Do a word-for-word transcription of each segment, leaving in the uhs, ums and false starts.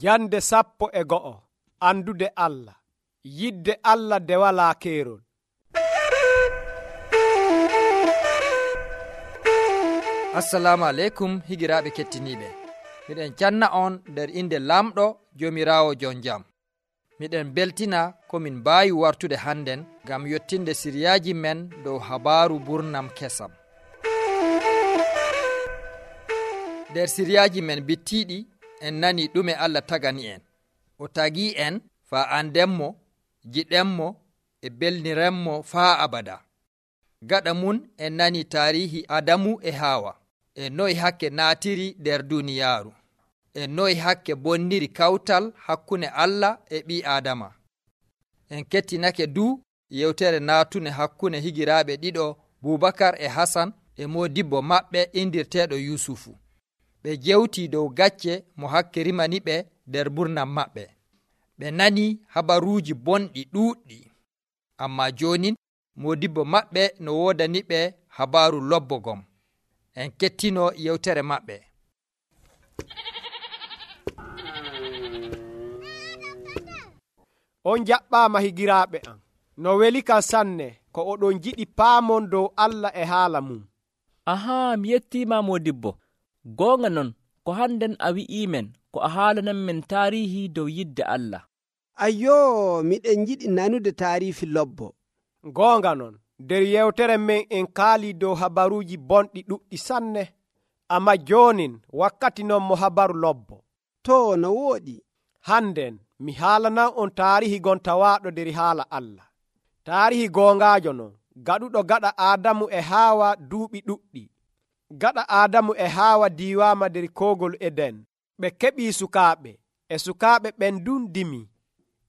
Jande sappo e go'o. Andude Allah. Yidde Allah de walaa keerol. Assalamu aleykum higiraaɓe kettiniiɓe. Miɗen canna on nder inde lamɗo Joomiraawo jon jam. Miɗen beltina ko min mbaawi wartude hannden ngam yottinde siriyaaji men dow habaaru burnam kesam. Nder siriyaaji men bittiiɗi en nani ɗume Allah tagani en. O tagii en faa andenmo, jiɗenmo e belnirenmo faa abada. Gaɗa mun en nani taarihi Adamu e Haawa, e noy hakke naatiri nder duuniyaaru, e noy hakke bonniri kawtal hakkunde Allah e ɓii Aadama. En kettinake du yewtere naatune hakkunde higiraaɓe ɗiɗo Bubakar e Hasan e modibbo maɓɓe indirteeɗo Yusufu. Ɓe jewtii dow gacce mo hakke rimani ɓe nder burnam maɓɓe. Ɓe nani habaruuji bonɗi ɗuuɗɗi, amma jooni modibbo maɓɓe no woodani ɓe habaaru lobbogom. En kettino yewtere maɓɓe. On jaɓɓaama higiraaɓe am. No weli kam sanne ko oɗon jiɗi paamon dow Allah e haala mum. Ahaa, mi yettiima modibbo. Goonga non, ko hannden a wi'iimen ko a haalanan men taarihi dow yidde Allah. Ayyoo, miɗen jiɗi nanude taarifi lobbo. Goonga non, nder yewtere men en kaali dow habaruuji bonɗi ɗuɗɗi sanne, amma joonin wakkati non mo habaru lobbo. To no wooɗi. Hannden mi haalanan on taarihi gon tawaaɗo nder haala Allah. Taarihi goongaajo non, gaɗuɗo gaɗa Aadamu e Haawa duuɓi ɗuɗɗi. Gaɗa Aadamu e Haawa diiwaama nder koogol Eden. Ɓe keɓii sukaaɓe, e sukaaɓe ɓen dun dimi.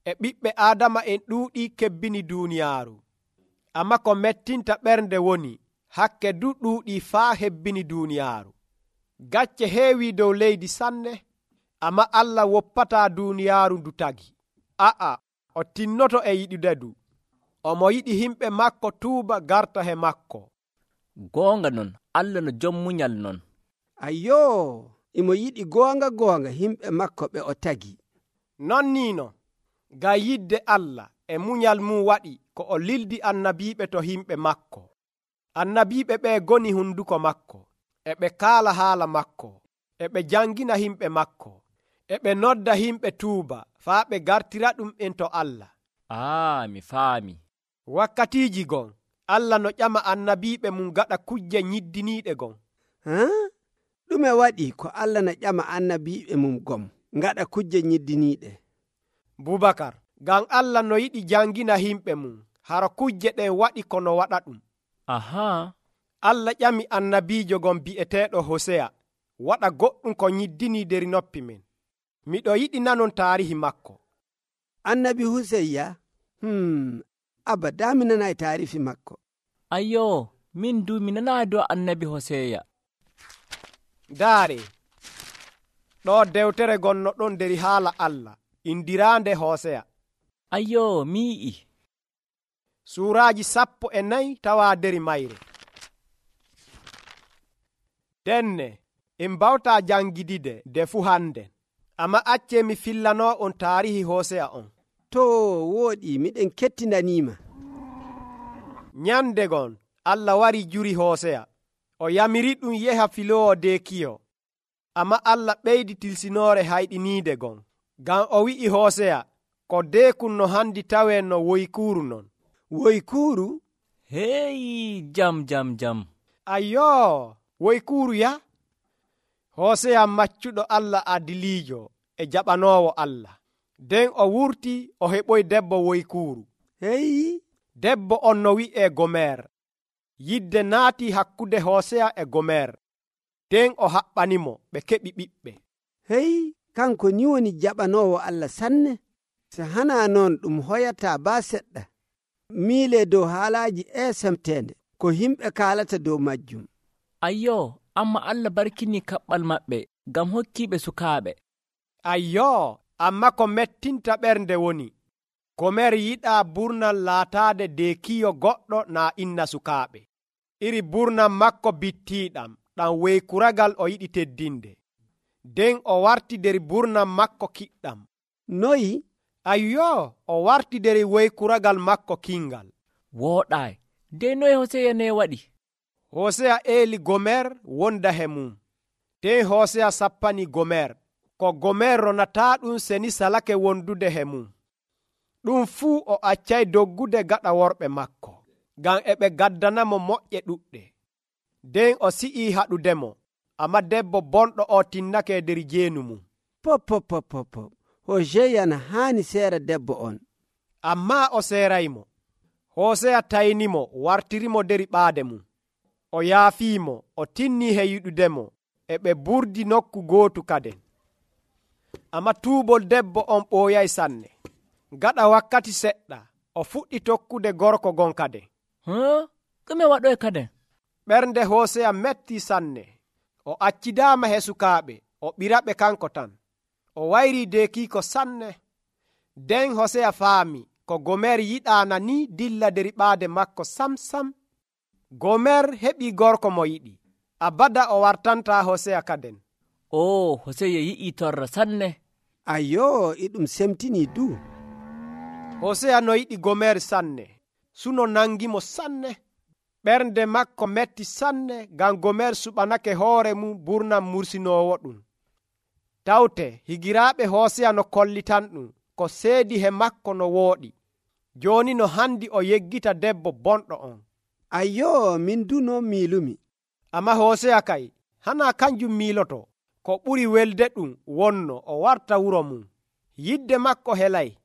E ɓiɓɓe Aadama en ɗuuɗi kebbini duuniyaaru. Amma ko mettinta ɓernde woni, hakke du ɗuuɗii faa hebbini duuniyaaru. Gacce heewii dow leydi sanne, amma Allah woppataa duuniyaaru ndu tagi. A'a, o tinnoto e yiɗude du. Omo yiɗi himɓe makko tuuba garta he makko. Goonga non, Allah no jom munyal non. Ayyoo, imo yiɗi goonga goonga himɓe makko ɓe o tagi. Non niino, ngam yidde Allah e munyal mum waɗi ko o lildi annabiiɓe to himɓe makko. Annabiiɓe ɓe goni hunduko makko, e ɓe kaala haala makko, e ɓe jangina himɓe makko, e ɓe nodda himɓe tuuba faa ɓe gartira ɗum en to Allah. Aa, mi faami. Wakkatiiji gon, Allah no ƴama annabiiɓe mum gaɗa kujje nyiddiniiɗe gon. Haa? Ɗume waɗi ko Allah no ƴama annabiiɓe mum gom gaɗa kujje nyiddiniiɗe? Bubakar, ngam Allah no yiɗi jangina himɓe mum, hara kujje ɗen waɗi kono waɗa ɗum. Ahaa. Allah ƴami annabiijo gon bi'eteeɗo Hoseya, waɗa goɗɗum ko nyiddinii nder noppi men. Miɗo yiɗi nanon taarihi makko. Annabi Huseyya? Hmm, abada mi nanay taarifi makko. Ayyoo, min du mi nanaa dow annabi Hoseya. Daare, ɗo dewtere gonno ɗon nder haala Allah, indiraande Hoseya. Ayyoo, mi yi'i. Suuraaji sappo e nayi tawaa nder mayre. Denne, en mbawtaa jangidide de fuu hannden, amma accee mi fillanoo on taarihi Hoseya on. To wooɗi, miɗen kettinaniima. Nyande gon, Allah wari juri Hoseya. O yamiri ɗum yeha filoowo deekiyo. Amma Allah ɓeydi tilsinoore hayɗiniide gon. Ngam o wi'i Hoseya, ko deekun no handi tawee no woykuuru non. Woykuuru? Heeyi, jam jam jam. Ayyoo, woykuuru ya? Hoseya maccuɗo Allah adiliijo e jaɓanoowo Allah. Nden o wurti o heɓoy debbo woykuuru. Heyi? Debbo on no wi'ee Gomer. Yidde naati hakkude Hoseya e Gomer. Nden o haɓɓanimo ɓe keɓi ɓiɓɓe. Heyi, kanko ni woni jaɓanoowo Allah sanne. So hanaa noon ɗum hoyataa baa seɗɗa. Miile dow haalaaji eesemteende ko himɓe kaalata dow majjum. Ayyoo, amma Allah barkini kaɓɓal maɓɓe ngam hokkiiɓe sukaaɓe. Ayyoo, amma ko mettinta ɓernde woni, Gomer yiɗaa burnal laataade deekiyo goɗɗo naa inna sukaaɓe. Iri burnal makko bittiiɗam, ɗam weykuragal o yiɗi teddinde. nden o warti der burnam makko kiɗɗam. noyi Ayyo, o warti der woykuragal makko kingal. wooɗaay dey noye hoseya ne waɗi? Hoseya eeli Gomer wonda he mum. nden Hoseya sappani Gomer, ko Gomer ronataa ɗum seni salake wondude he mum. ɗum fuu o accay doggude gaɗa worɓe makko, ngam e ɓe gaddanamo moƴƴe ɗuɗɗe. nden o si'ii haɗudemo, amma debbo bonɗo o tinnake der jeenu mum. pop pop pop pop pop hoseya na haani seera debbo on. Ammaa o seeraymo. Hoseya taynimo wartirimo der ɓaade mum. O yaafiimo, o tinnii he yiɗudemo, e ɓe burdi nokku gootu kaden. Amma tuubol debbo on ɓooyay sanne. Gaɗa wakkati seɗɗa, o fuɗɗi tokkude gorko gon kaden. huh? ɗume waɗoy kaden? ɓernde Hoseya metti sanne. O accidaama he sukaaɓe, o ɓiraɓe kanko tan. O wayrii deekiiko sanne. nden Hoseya faami ko Gomer yiɗaana ni dilla der ɓaade makko sam sam. Gomer heɓii gorko mo yiɗi. Abada o wartantaa Hoseya kaden. o hoseya yi'ii torra sanne. ayyo e ɗum semtinii du. Hoseya no yiɗi Gomer sanne, suno nangimo sanne. ɓernde makko metti sanne, ngam Gomer suɓanake hoore mum burnam mursinoowo ɗum. tawte higiraaɓe Hoseya no kollitan ɗum ko seedi he makko no wooɗi. jooni no handi o yeggita debbo bonɗo on. ayyo min du non miilumi. Amma Hoseya kay hana kanjum miiloto. ko ɓuri welde ɗum wonno o warta wuro mum. yidde makko helay.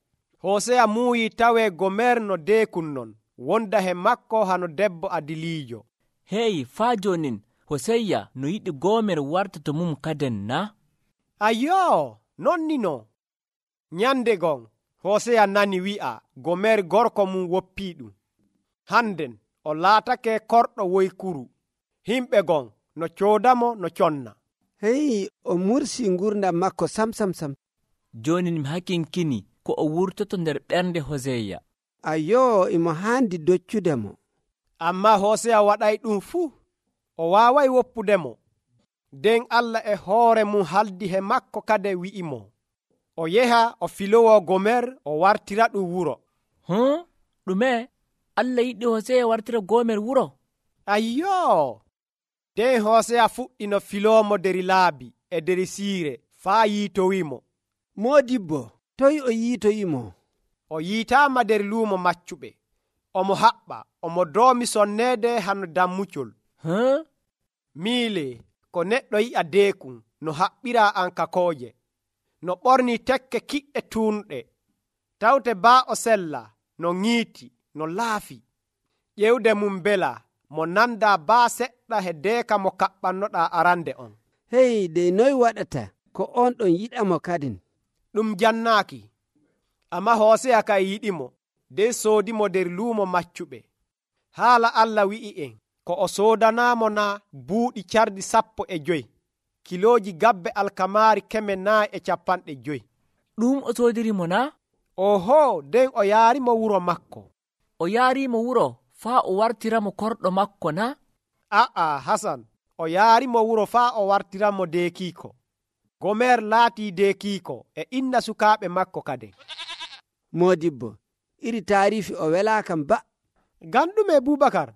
Hoseya muuyi tawe Gomer no deekun non, wonda he makko hano debbo adiliijo. hey faa jonin hoseya no yiɗi Gomer warta to mum kaden na? Ayyo, nonni no. nyande gon Hoseya nani wi'a Gomer gorko mum woppii ɗum. Hannden o laatake korɗo woykuru. himɓe gon no coodamo no conna. hey o mursi ngurdam makko sam sam sam. jooni mi hakinkini ko o wurtoto nder ɓernde hoseya. ayyo imo haandi doccudemo. Amma Hoseya waɗay ɗum fuu. O waaway woppudemo. nden Allah e hoore mum haldi he makko kade wi'imo, o yeha o filowo Gomer o wartira ɗum wuro. huh? ɗume? Allah yiɗi hoseya wartira Gomer wuro? Ayyo! nden Hoseya fuɗɗi no filoomo der laabi e der siire faa yiitowimo. moodibbo toy o yiitoyimo? O yiitaama der luumo maccuɓe. Omo haɓɓa, omo doomi sonneede hano dammucol. huh? miile ko neɗɗo yi'a deekun no haɓɓira ankakooje, no ɓorni tekke kiɗɗe tuunɗe, tawte baa o sella no ŋiiti no laafi. ƴewde mum bela mo nanda baa seɗɗa he deeka mo kaɓɓannoɗaa arande on. hey dey noy waɗata ko on ɗon yiɗamo kadin? ɗum jannaaki. Amma Hoseya kay yiɗimo, nden soodimo der luumo maccuɓe. haala Allah wi'i en ko o soodanaamo na buuɗi cardi sappo e joyi, kilooji gabbe alkamaari keme naayi e capanɗe joyi. ɗum o soodirimo na? oho, nden o yaarimo wuro makko. o yaarimo wuro faa o wartiramo korɗo makko na? a'a Hasan, o yaarimo wuro faa o wartiramo deekiiko. Gomer laatii deekiiko e inna sukaaɓe makko kade. moodibbo iri taarifi o welaakam ba. ngam ɗume Bubakar?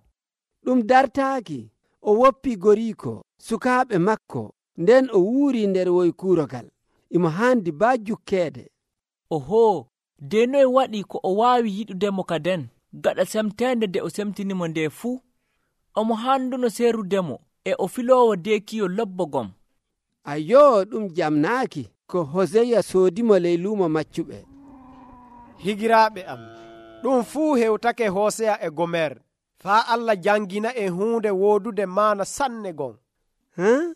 ɗum dartaaki o woppi goriiko sukaaɓe makko, nden o wuuri nder woykuurogal. imo haandi baa jukkeede. oho, de noye waɗi ko o waawi yiɗudemo kaden gaɗa semteende nde o semtinimo nde fuu? omo handuno seerudemo e o filoowo deekiyo lobbogom. ayyo ɗum jamnaaki ko hoseya soodimo ley luumo maccuɓe. higiraaɓe am, ɗum fuu hewtake Hoseya e Gomer, faa Allah jangina en huunde woodude maana sanne gon. huh?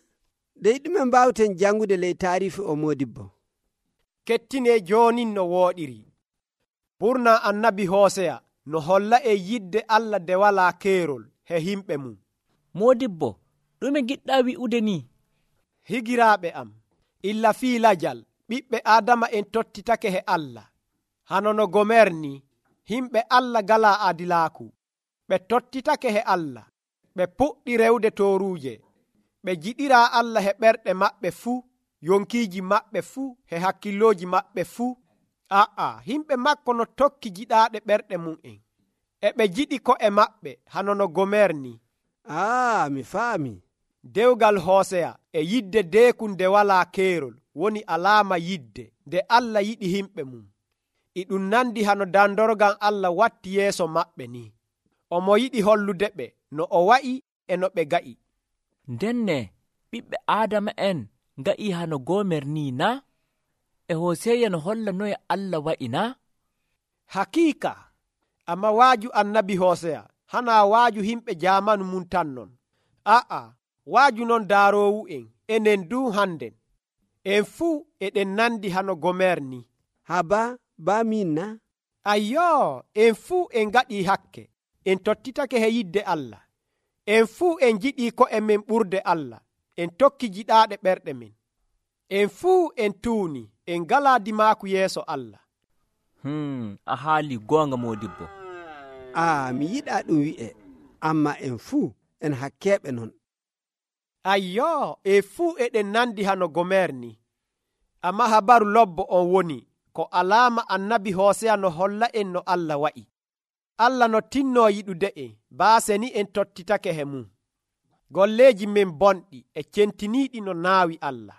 dey ɗume mbawten jangude ley taarifi o moodibbo? kettine joonin no wooɗiri. ɓurna annabi Hoseya no holla e yidde Allah de walaa keerol he himɓe mum. moodibbo ɗume giɗɗa wi'ude ni? higiraaɓe am, illa fii lajal ɓiɓɓe Adama en tottitake he Allah. hano no Gomer ni, himɓe Allah galaa adilaaku. ɓe tottitake he Allah, ɓe puɗɗi rewde tooruuje, ɓe jiɗiraa Allah he ɓerɗe maɓɓe fuu, yonkiiji maɓɓe fuu he hakkillooji maɓɓe fuu. aa himɓe makko no tokki jiɗaaɗe ɓerɗe mum'en, e ɓe jiɗi ko'e maɓɓe hano no Gomer ni. aa mi faami. Dewgal Hooseya e yidde deeku nde walaa keerol woni alaama yidde nde Allah yiɗi himɓe mum. E ɗum nandi hano dandorgal Allah watti yeeso maɓɓe ni. Omo yiɗi hollude ɓe no o wa'i e no ɓe ga'i. Ndenne ɓiɓɓe Aadama'en nga'ii hano Gomer ni na? E Hooseya no holla noye Allah wa'i na? Hakiika, amma waaju annabi Hooseya hanaa waaju himɓe jaamanu mum tan non. aa waaju non daaroowo'en enen du hannden. En fuu eɗen nandi hano Gomer ni. Haba baa min na? Ayyoo, en fuu en ngaɗii hakke, en tottitake he yidde Allah. En fuu en jiɗii ko'e men ɓurde Allah, en tokki jiɗaaɗe ɓerɗe men. En fuu en tuuni, en ngalaa dimaaku yeeso Allah. Hmm, a haali goonga Moodibbo. aa mi yiɗaa ɗum wi'e, amma en fuu en hakkeeɓe non. Ayyoo, en fuu eɗen nandi hano Gomer ni. Amma habaru lobbo on woni ko alaama annabi Hooseya no holla en no Allah wa'i. Allah no tinnoo yiɗude en, baase ni en tottitake he mum. Golleeji men bonɗi e centiniiɗi no naawi Allah.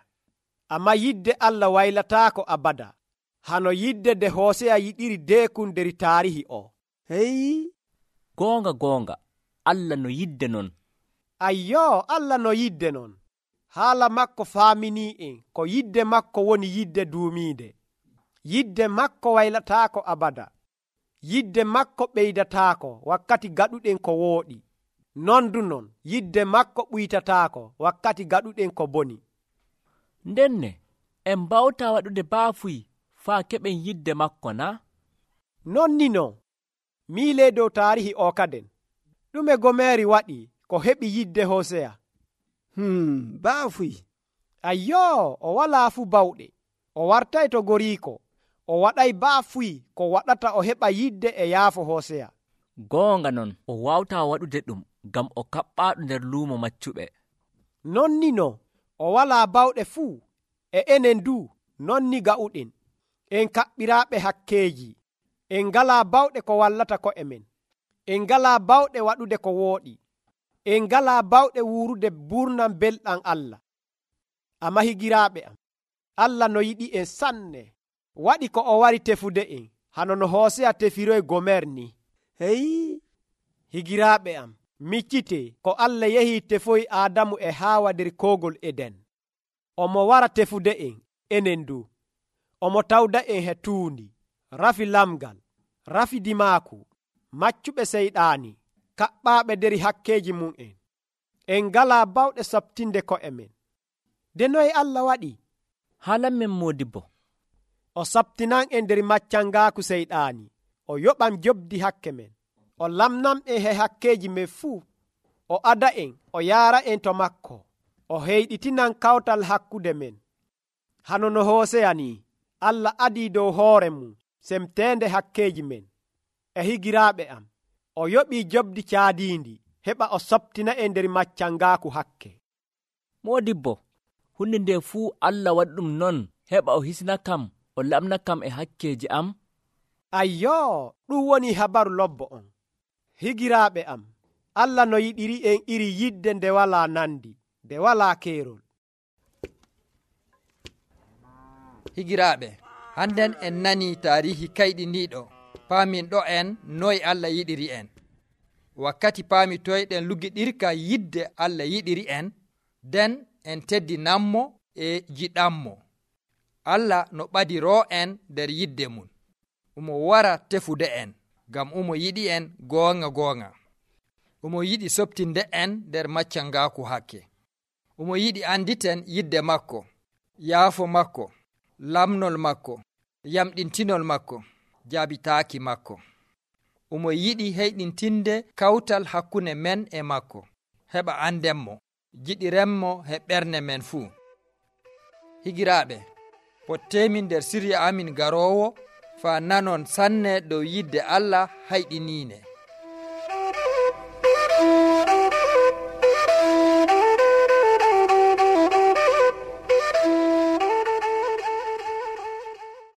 Amma yidde Allah waylataako abada, hano yidde nde Hooseya yiɗiri deekun nder taarihi o. Hey, Goonga goonga, Allah no yidde non. Ayyoo, Allah no yidde non. Haala makko faaminii en ko yidde makko woni yidde duumiide. Yidde makko waylataako abada. Yidde makko ɓeydataako wakkati gaɗuɗen ko wooɗi. Non du non, yidde makko ɓuytataako wakkati gaɗuɗen ko boni. Ndenne en mbawtaa waɗude baafuy faa keɓen yidde makko na? Non ni non, miilee dow taarihi o kaden. Ɗume Gomeri waɗi ko heɓi yidde Hooseya? hmm baafuy. Ayyoo, o walaa fuu bawɗe. O wartay to goriiko. O waɗay baafuy ko waɗata o heɓa yidde e yaafo Hooseya. Goonga non, o waawtaa waɗude ɗum ngam o kaɓɓaaɗo nder luumo maccuɓe. Non ni non, o walaa bawɗe fuu, e enen du non ni ga'uɗen. En kaɓɓiraaɓe hakkeeji. En ngalaa bawɗe ko wallata ko'e men. En ngalaa bawɗe waɗude ko wooɗi. En ngalaa bawɗe wuurude buurnam belɗam Allah. Amma higiraaɓe am, Allah no yiɗi en sanne, waɗi ko o wari tefude en, hano no Hooseya tefiroy Gomer ni. Hey, higiraaɓe am, miccite ko Allah yehii tefoyi Aadamu e Haawa nder koogol Eden. Omo wara tefude en, enen du. Omo tawda en he tuundi, rafi lamgal, rafi dimaaku, maccuɓe seyɗaani, kaɓɓaaɓe nder hakkeeji mum en. En ngalaa bawɗe sabtinde ko'e men. De noye Allah waɗi? Haalan men Moodibbo. O sabtinan en nder maccangaaku seyɗaani. O yoɓam jobdi hakke men. O lamnam en he hakkeeji men fuu. O ada en, o yaara en to makko. O heyɗitinan kawtal hakkude men. Hano no Hooseya ni, Allah adii dow hoore mum semteende hakkeeji men. E higiraaɓe am, o yoɓii jobdi caadiindi heɓa o sabtina en nder maccangaaku hakke. Moodibbo, hunde nde fuu Allah waɗi ɗum non heɓa o hisna kam, o lamna kam e hakkeeji am. Ayyoo, ɗum woni habaru lobbo on. Higiraaɓe am, Allah no yiɗiri en iri yidde nde walaa nandi, nde walaa keerol. Higiraaɓe, hannden en nanii taarihi kayɗiniiɗo, paamin ɗo en noye Allah yiɗiri en. Wakkati paamitoyɗen lugiɗirka yidde Allah yiɗiri en, nden en teddinanmo e jiɗanmo. Allah no ɓadiroo en nder yidde mum. Omo wara tefude en, ngam omo yiɗi en goonga goonga. Omo yiɗi soɓtinde en nder maccangaaku hakke. Omo yiɗi anditen yidde makko, yaafo makko, lamnol makko, yamɗintinol makko, jaabitaaki makko. Omo yiɗi heyɗintinde kawtal hakkunde men e makko, heɓa andenmo, jiɗirenmo he ɓernde men fuu. Higiraaɓe, potteemin nder sirya amin garoowo faa nanon sanne dow yidde Allah hayɗiniine.